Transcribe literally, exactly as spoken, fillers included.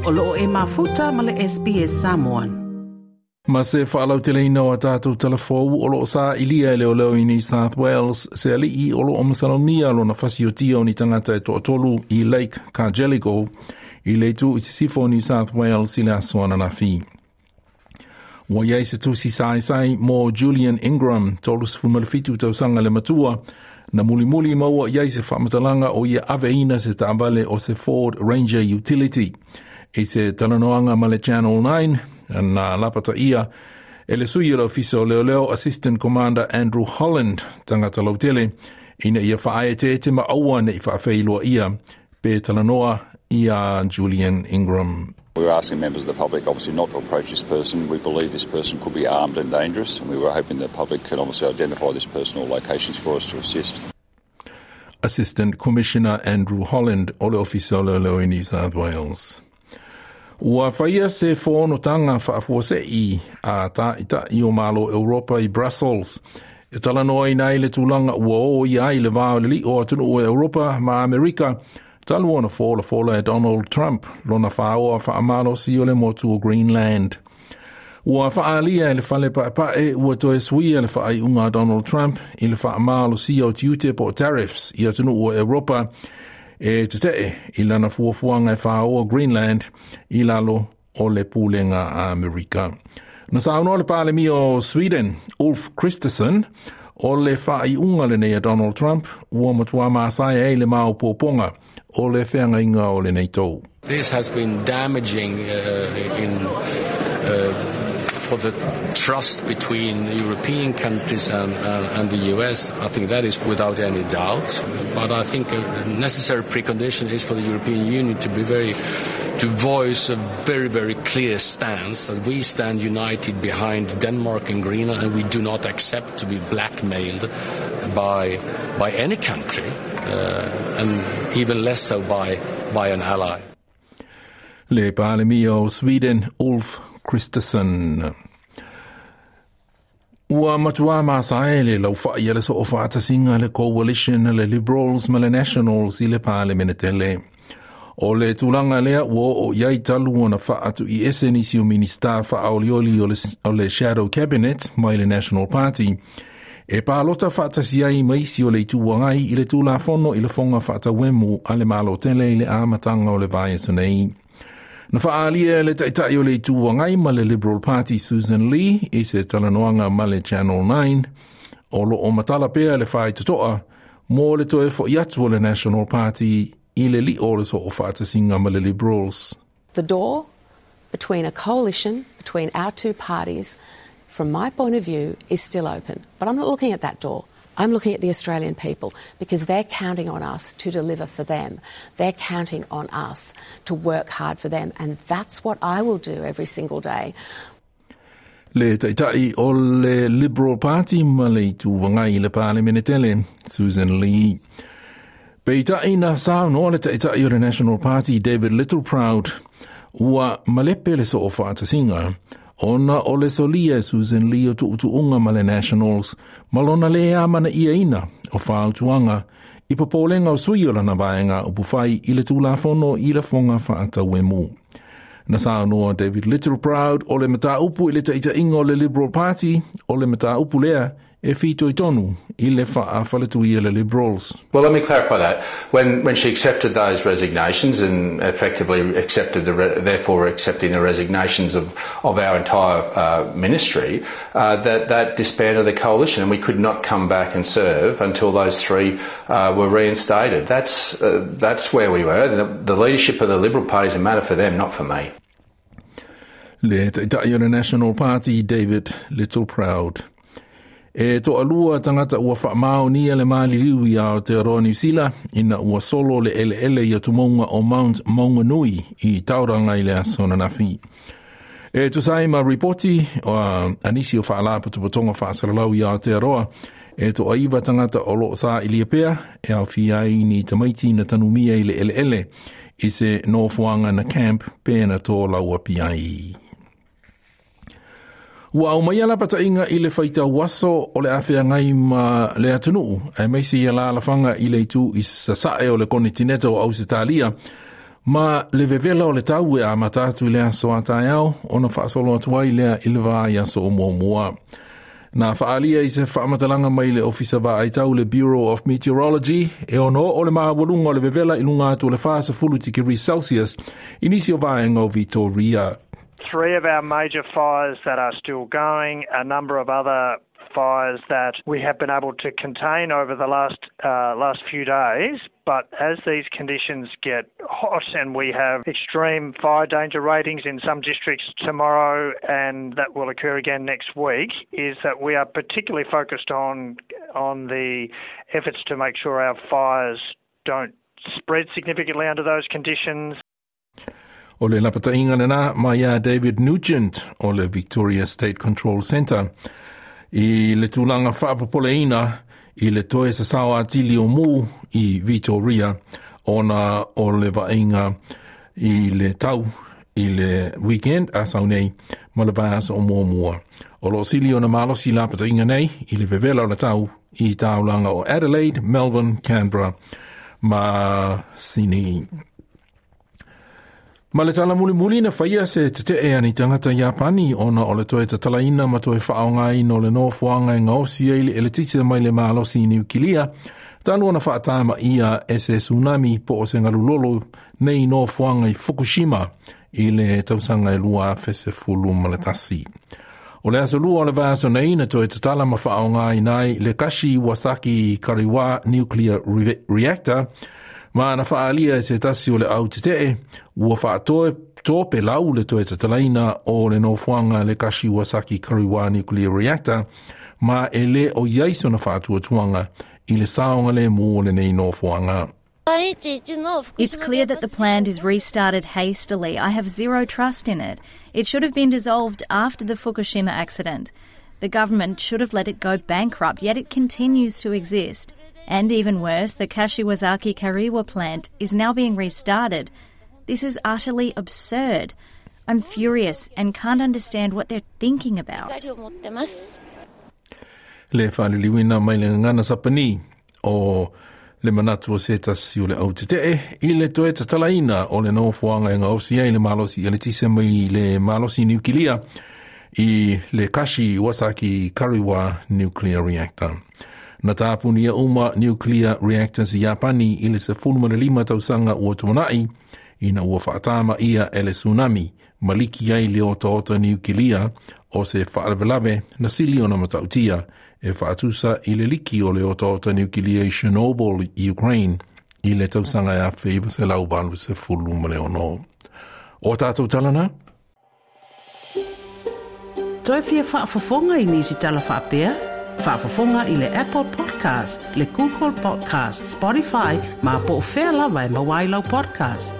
O loo e mafuta ma le S B S Samoan. Ma se whaalauteleina o tātou telefou o loo sa ilia e leo leo i New South Wales, se alii o loo masalonia lona fasiotia o ni tangata e toatolu i Lake Cargelligo i leitu i sisifo New South Wales i le aso ananafi. Ua iai se tusi saisai mo Julian Ingram, tolu sefulumafitu tausaga le matua, na mulimuli maua iai se whamatalanga o ia aveina se taavale o se Ford Ranger Utility. I se talanoanga ma le Channel nine, na lapata ia, e le sui o le ofisa o leo leo Assistant Commander Andrew Holland, tangata lautele, ina ia whaae te te maua ne i whaafeiloa ia, pe talanoa ia Julian Ingram. We were asking members of the public obviously not to approach this person. We believe this person could be armed and dangerous, and we were hoping the public could obviously identify this person or locations for us to assist. Assistant Commissioner Andrew Holland o le ofisa o leo leo i New South Wales. Ua whaia se whonotanga whaafuasei a tā ita i o malo Europa i Brussels. E talanoa i nei le tūlanga ua o i ai le vāo le li o atunu o Europa ma Amerika, talu ona fola fola e Donald Trump, lona whaoa whaamalo si o le motu o Greenland. Ua whaalia e le whale paepae ua toe suia le whaaiunga Donald Trump i le whaamalo si o tiute po tariffs i atunu o Europa e te tee i lana fuafuanga e whaoa Greenland i lalo o le pulenga Amerika. Na saunoa le palemi o Sweden, Ulf Kristersson, o le whaaiunga le nei a Donald Trump, ua matua maasai e le maopoponga o le wheangainga o le nei tau. This has been damaging uh, in, uh, for the trust between European countries and, uh, and the U S. I think that is without any doubt. But I think a necessary precondition is for the European Union to be very, to voice a very, very clear stance that we stand united behind Denmark and Greenland, and we do not accept to be blackmailed by, by any country, uh, and even less so by, by an ally. Le palemi o Sweden, Ulf Kristersson. Ua matua masae le lauwhai le so o whaatasinga le Coalition le Liberals ma le Nationals i le Parliamentele. O le tūlanga lea ua o iai talu ona whaatu i ese nisi o minista whaolioli o le, o le Shadow Cabinet mai le National Party. E pālota whaatasi ai maisi o le ituangai i le tūlafono i le whonga whaatawemu a le malotele i le amatanga o le vaiaso nei. Na whaalia le taitai o le ituangai ma le Liberal Party Susan Lee i se talanoanga ma le Channel nine o lo o matala pea le whaitotoa mō le toe fo iatu o le National Party i le li o le so o whaatasinga ma le Liberals. The door between a coalition, between our two parties, from my point of view, is still open. But I'm not looking at that door. I'm looking at the Australian people because they're counting on us to deliver for them. They're counting on us to work hard for them, and that's what I will do every single day. Le taitai o le Liberal Party ma le ituangai i le Parliamentele, Susan Lee. Peitai na saunoa le taitai o le National Party David Littleproud ua malepe le so o whaatasinga ona o le solia Susan Lee o tuutuunga ma le Nationals ma lona le amana ia ina o whaautuanga i popolenga o sui o lana vaenga o puwhai i le tūlafono i le whonga whaatawemu. Na saunoa David Littleproud o le mataupu i le taitainga o le Liberal Party o le mataupu lea e whitoi tonu i le whaafaletuia le Liberals. Well, let me clarify that. When when she accepted those resignations and effectively accepted the re- therefore accepting the resignations of, of our entire uh, ministry, uh, that that disbanded the coalition, and we could not come back and serve until those three uh, were reinstated. That's uh, that's where we were. The, the leadership of the Liberal Party is a matter for them, not for me. Le taitai o le National Party, David Littleproud. E to alua tangata ua whaamao le maliliu i Aotearoa New Zealand ina ua solo le ele ele i atumonga o Mount Maunganui i Tauranga i le aso nanafi. E tusai ma ripoti o anisi o whaalapotopotonga whaasalalau i Aotearoa e to aiwa tangata o loo sa ilia pea e au fiai ni tamaiti na tanumia i le ele ele i se nofoanga na camp pena tō laua piai. Ua au mai ala patainga i le whaita waso o le awhea ngai ma le atunuu, e meisi ia la alawhanga i le itu i sasae o le konitineta o Ausitalia, Ma le vevela o le tau e amata atu i le aso a taeao, ona faasolo atu ai lea i le vaiaso o muamua. Na faalia i se faamatalaga mai le Ofisa Vaaitau le Bureau of Meteorology, e ono oo le maualuga o le vevela i luga atu o le fasefulu tikeri Celsius i nisi o vaega o Victoria. Three of our major fires that are still going, a number of other fires that we have been able to contain over the last uh, last few days. But as these conditions get hot and we have extreme fire danger ratings in some districts tomorrow, and that will occur again next week, is that we are particularly focused on on the efforts to make sure our fires don't spread significantly under those conditions. O le lapataiga lena mai ia David Nugent o le Victoria State Control Centre. I le tulaga faapopoleina i le toe sasao atili o mu i Victoria ona o le vaaiga i le tau i le weekend a sau nei ma le vaiaso o muamua. O lo o sili ona malosi lapataiga nei i le vevela o le tau i taulaga o Adelaide, Melbourne, Canberra ma Sydney. Ma le tala mulimuli na faia se tetee a ni tagata Iapani ona o le toe tatalaina ma toe faaaogaina o le nofoaga e gaosi ai le eletise mai le malosi niukilia, talu ona faatamaia e se tsunami po o se galulolo nei nofoaga i Fukushima i le tausaga e lua afe sefulu ma le tasi. O le aso lua o le vaiaso nei na toe tatala ma faaaogaina ai le Kashiwazaki Kariwa Nuclear Reactor, ma na faaalia e se tasi o le au tetee ua faatoe topelau le toe tatalaina o le nofoaga le Kashiwazaki Kariwa Nuclear Reactor, ma e le o i ai sona faatuatuaga i le saogalemu o lenei nofoaga. It's clear that the plant is restarted hastily. I have zero trust in it. It should have been dissolved after the Fukushima accident. The government should have let it go bankrupt, yet it continues to exist. And even worse, the Kashiwazaki Kariwa plant is now being restarted. This is utterly absurd. I'm furious and can't understand what they're thinking about. Le faaliliuina mai le gagana Sapani o le manatu o se tasi o le au tetee i le toe tatalaina o le nofoaga e gaosi ai le malosi eletise mai le malosi niukilia i le Kashiwazaki Kariwa Nuclear Reactor. Na tapunia uma nuclear reactors i Iapani i le sefulu ma le lima tausaga ua tuanai ina ua faatamaia e le tsunami ma liki ai le otaota niukilia o se faalavelave na sili ona matautia e faatusa i le liki o le otaota niukilia i Chernobyl i Ukraine i le tausaga e afe iva selau valu sefulu ma le ono. O tātou tala na? Toe fia faafofoga i nisi tala faapea? Faafofoga i le Apple Podcast, le Google Podcast, Spotify, ma po o fea lava e maua ai lau podcast.